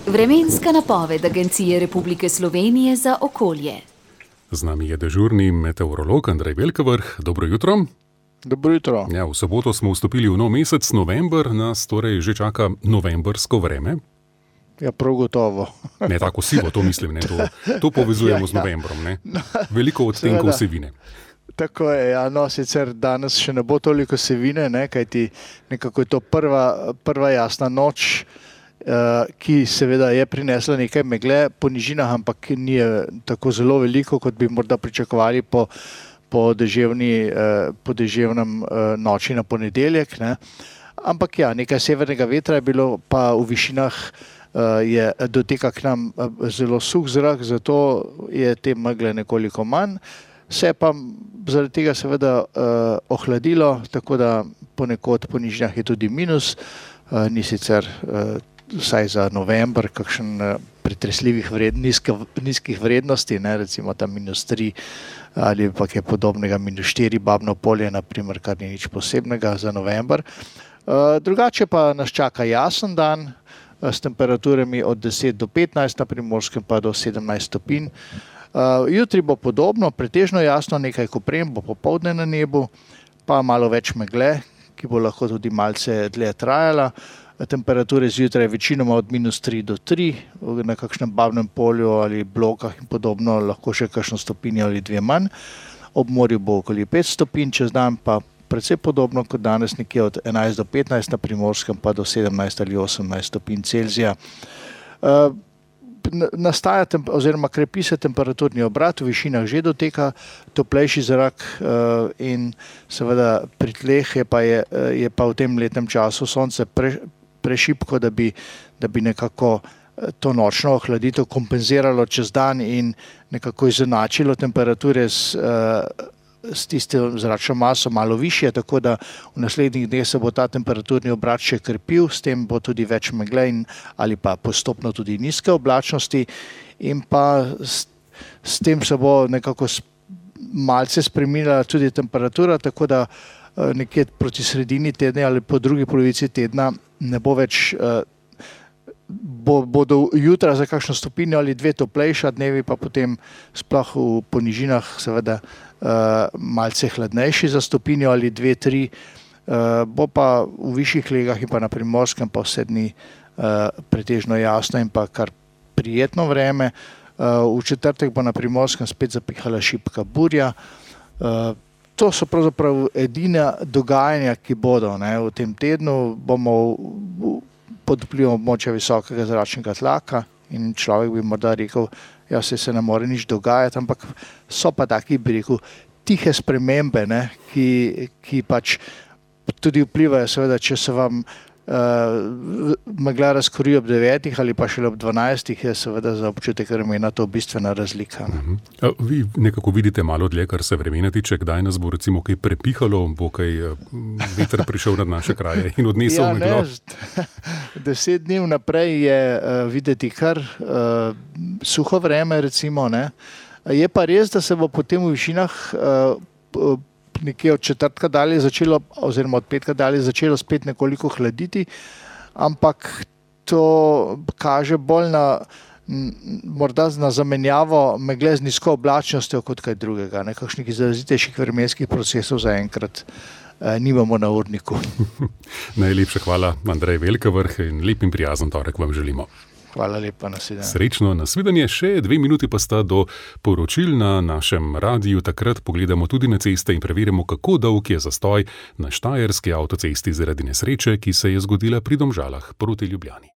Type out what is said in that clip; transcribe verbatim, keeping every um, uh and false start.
Vremenska napoved Agencije Republike Slovenije za okolje. Z nami je dežurni meteorolog Andrej Velkavrh. Dobro jutro. Dobro jutro. Ja, v soboto smo vstopili v nov mesec, november, nas torej že čaka novembrsko vreme. Ja, prav gotovo. Ne, tako sivo, to mislim, ne, to, to povezujemo ja, z novembrom, ne. Veliko odtenkov sevine. Tako je, ja, no, sicer danes še ne bo toliko sevine, ne, kajti nekako je to prva, prva jasna noč, uh, ki seveda je prinesla nekaj megle po nižinah, ampak ni tako zelo veliko, kot bi morda pričakovali po, po, deževni, uh, po deževnem uh, noči na ponedeljek. Ne. Ampak ja, nekaj severnega vetra je bilo, pa v višinah uh, je doteka k nam zelo suh zrak, zato je te megle nekoliko manj. Se pa zaradi tega seveda uh, ohladilo, tako da ponekod po nižinah je tudi minus, uh, ni sicer uh, vsaj za november kakšen uh, pretresljivih vred, nizke, nizkih vrednosti, ne, recimo tam minus tri ali pa kaj podobnega, minus štiri Babno Polje, naprimer, kar ni nič posebnega za november. Uh, drugače pa nas čaka jasen dan uh, s temperaturami od deset do petnajst, na Primorskem pa do sedemnajst stopinj. Uh, jutri bo podobno, pretežno jasno, nekaj koprem bo popoldne na nebu, pa malo več megle, ki bo lahko tudi malce dlje trajala. Temperature zjutraj večinoma od minus tri do tri, na kakšnem Babnem Polju ali Blokah in podobno lahko še kakšno stopinjo ali dve manj. Ob morju bo okoli pet stopinj, čez dan pa precej podobno kot danes, nekje od enajst do petnajst, na Primorskem pa do sedemnajst ali osemnajst stopinj Celzija. Uh, Nastaja oziroma krepi se temperaturni obrat, v višinah že doteka toplejši zrak uh, in seveda pri tleh je pa, je, je pa v tem letnem času sonce pre, prešibko, da bi, da bi nekako to nočno ohladitev kompenziralo čez dan in nekako izenačilo temperature s, uh, s tistim zračno maso malo višje, tako da v naslednjih dneh se bo ta temperaturni obrat še krepil, s tem bo tudi več megle in, ali pa postopno tudi nizke oblačnosti in pa s, s tem se bo nekako malce spremenila tudi temperatura, tako da nekje proti sredini tedna ali po drugi polovici tedna ne bo več, bo, bodo jutra za kakšno stopinjo ali dve toplejša, dnevi pa potem sploh v ponižinah seveda Uh, malce hladnejši za stopinjo ali dve, tri, uh, bo pa v višjih legah in pa na Primorskem pa vse dni uh, pretežno jasno in pa kar prijetno vreme. Uh, v četrtek bo na Primorskem spet zapihala šibka burja. Uh, to so pravzaprav edina dogajanja, ki bodo, ne, v tem tednu. Bomo pod vplivom območja visokega zračnega tlaka in človek bi morda rekel, ja, se, se ne more nič dogajati, ampak so pa taki, bi rekel, tihe spremembe, ne, ki, ki pač tudi vplivajo, seveda, če se vam uh, megla razkori ob devetih ali pa šele ob dvanajstih, je seveda za občutek vremena to bistvena razlika. Uh-huh. A, vi nekako vidite malo dlje, kar se vremena tiče, kdaj nas bo recimo kaj prepihalo, bo kaj uh, veter prišel nad naše kraje in odnesel ja, meglo? Ne, deset dni vnaprej je uh, videti kar uh, suho vreme, recimo, ne. Je pa res, da se bo potem v višinah uh, nekje od četrtka dalje začelo, oziroma od petka dalje začelo spet nekoliko hladiti, ampak to kaže bolj na, morda na zamenjavo megle z nizko oblačnostjo kot kaj drugega. Nekakšnih izrazitejših vremenskih procesov zaenkrat eh, nimamo na urniku. Najlepša hvala, Andrej Velkavrh, in lep in prijazen torek vam želimo. Hvala lepa, nasvidenje. Srečno, nasvidenje. Še dve minuti pa sta do poročil na našem radiju. Takrat pogledamo tudi na ceste in preverimo, kako dolg je zastoj na štajerski avtocesti zaradi nesreče, ki se je zgodila pri Domžalah proti Ljubljani.